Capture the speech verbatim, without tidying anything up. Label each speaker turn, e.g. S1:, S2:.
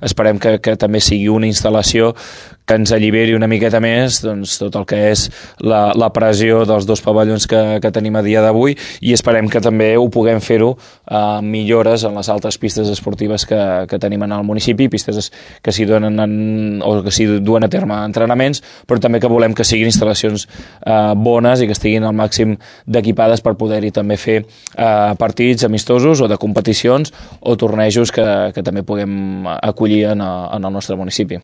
S1: esperem que, que també sigui una instal·lació que ens alliberi una miqueta més doncs, tot el que és la, la pressió dels dos pavellons que, que tenim a dia d'avui, i esperem que també ho puguem fer-ho amb eh, millores en les altres pistes esportives que, que tenim en el municipi, pistes que s'hi donen en, o que s'hi duen a terme entrenaments, però també que volem que siguin instal·lacions eh, bones i que estiguin al màxim d'equipades per poder-hi també fer eh, partits amistosos o de competicions o tornejos que, que també puguem acollir en, en el nostre municipi.